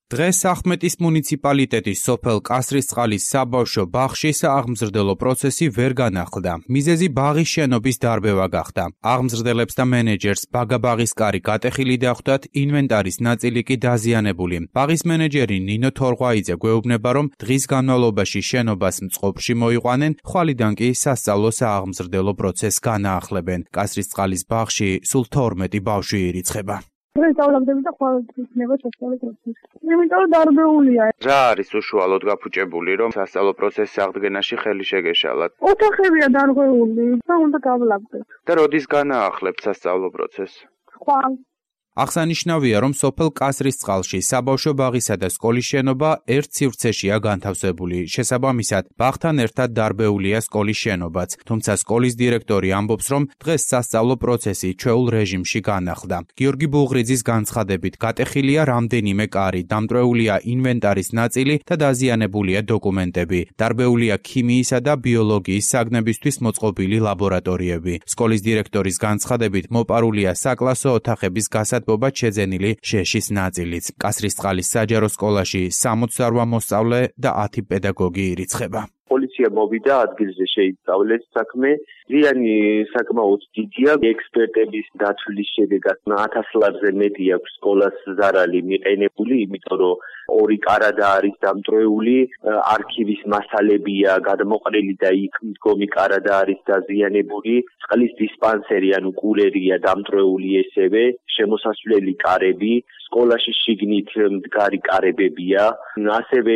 დღეს ახმეტის მუნიციპალიტეტის სოფელ კასრისწყლის საბავშვო ბაღში სააღმზრდელო პროცესი ვერ განახლდა. მიზეზი ბაღის შენობის დარბევა გახდა. აღმზრდელებს და მენეჯერს ბაგაბაღის კარი გატეხილი დახვდათ, ინვენტარის ნაწილი კი დაზიანებული. ბაღის მენეჯერი ნინო თორღვაიძე გვეუბნება, რომ დღის განმავლობაში შენობას მწყობრში მოიყვანენ, ხვალიდან კი სასწავლო სააღმზრდელო პროცესს განაახლებენ. კასრისწყლის ბაღში სულ 12 ბავშვი ირიცხება. სწავლობდები და ხვალ იქნება სასწავლო პროცესი. იმიტომ დარბეულია. რა არის უშუალოდ გაფუჭებული, რომ სასწავლო პროცესის აღდგენაში ხელი შეგეშალათ? ოთახებია დარღვეული და უნდა გავლაგდეთ. და როდის განაახლებთ სასწავლო პროცესს? ხვალ. აღსანიშნავია, რომ სოფელ კასრისწყლში საბავშვო ბაღისა და სკოლის შენობა ერთ სივრცეშია განთავსებული. შესაბამისად, ბაღთან ერთად დარბეულია სკოლის შენობაც. თუმცა სკოლის დირექტორი ამბობს, რომ დღეს სასწავლო პროცესი ჩვეულ რეჟიმში განახლდა. გიორგი ბუღრიძის განცხადებით, გატეხილია რამდენიმე კარი, დამტვრეულია ინვენტარის ნაწილი და დაზიანებულია დოკუმენტები. დარბეულია ქიმიისა და ბიოლოგიის საგნებისთვის მოწყობილი ლაბორატორიები. სკოლის დირექტორის განცხადებით, მოპარულია საკლასო ოთახების გასათბობა შეძენილი შეშის ნაწილიც. კასრისწყლის საჯარო სკოლაში 68 მოსწავლე და 10 პედაგოგი ირიცხება. პოლიცია მოვიდა ადგილზე შეისწავლეს საქმე. ზიანი საკმაოდ დიდია. ექსპერტების დათვლის შედეგად 1000 ლარზე მეტი აქვს სკოლას ზარალი მიყენებული, იმიტომ რომ 2 კარადა არის დამტვრეული, არქივის მასალებია გადმოყრილი და იქ მდგომი კარადა არის დაზიანებული, წყლის დისპანსერი ანუ კულერია დამტვრეული ესევე, შემოსასვლელი კარები, სკოლაში შიგნით მდგარი კარებებია, ასევე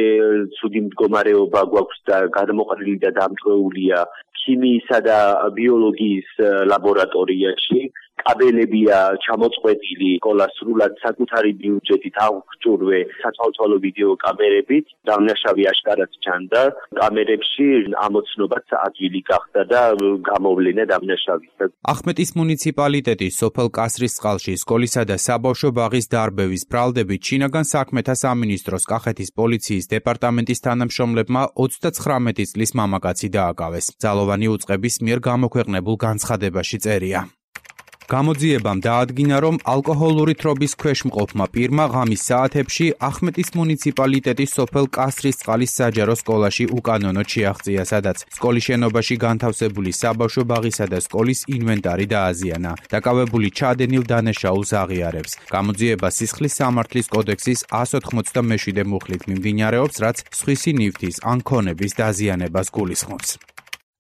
ცუდი მდგომარეობა გვაქვს და გადმოყრილი და დამტვრეულია ქიმიისა და ბიოლოგიის ლაბორატორიაში. კაბელებია ჩამოწყვეტილი, სკოლა სრულად საკუთარი ბიუჯეტით აღჭურვე სათვალთვალო ვიდეო კამერებით, დამნაშავე აშკარად ჩანდა. კამერებში ამოცნობაც ადვილი გახდა და გამოვლენა დამნაშავის. ახმეტის მუნიციპალიტეტის სოფელ კასრისწყლში სკოლისა და საბავშვო ბაღის დარბევის ბრალდებით შინაგან საქმეთა სამინისტროს კახეთის პოლიციის დეპარტამენტის თანამშრომლებმა 39 წლის მამაკაცი დააკავეს. ძალოვანი უწყების მიერ გამოქვეყნებულ განცხადებაში წერია. გამოძიებამ დაადგინა, რომ ალკოჰოლური თრობის ქვეშ მყოფმა პირმა ღამის საათებში ახმეტის მუნიციპალიტეტის სოფელ კასრისწყლის საჯარო სკოლაში უკანონოდ შეაღწია, სადაც სკოლის შენობაში განთავსებული საბავშვო ბაღისა და სკოლის ინვენტარი დააზიანა. დაკავებული ჩადენილ დანაშაულს აღიარებს. გამოძიება სისხლის სამართლის კოდექსის 187 მუხლით მიმდინარეობს, რაც სხვისი ნივთის ან ქონების დაზიანებას გულისხმობს.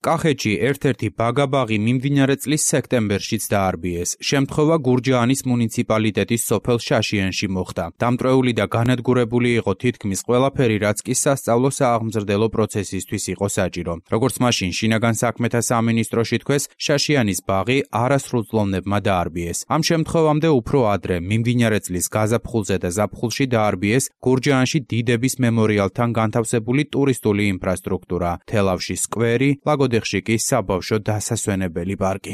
კახეთში ერთ-ერთი ბაგაბაღი მიმდინარე წლის სექტემბერშიც დაარბიეს. შემთხვევა გურჯაანის მუნიციპალიტეტის სოფელ შაშიანში მოხდა. დამტვრეული და განადგურებული იყო თითქმის ყველაფერი, რაც კი სასწავლო სააღმზრდელო პროცესისთვის იყო საჭირო. როგორც მაშინ შინაგან საქმეთა სამინისტროში თქვეს, შაშიანის ბაღი არასრულწლოვნებმა დაარბიეს. ამ შემთხვევამდე უფრო ადრე მიმდინარე წლის გაზაფხულზე და ზაფხულში დაარბიეს გურჯაანში დიდების მემორიალთან განთავსებული ტურისტული ინფრასტრუქტურა, თელავში სკვერი, ლაგოდეხში კი საბავშვო დასასვენებელი პარკი.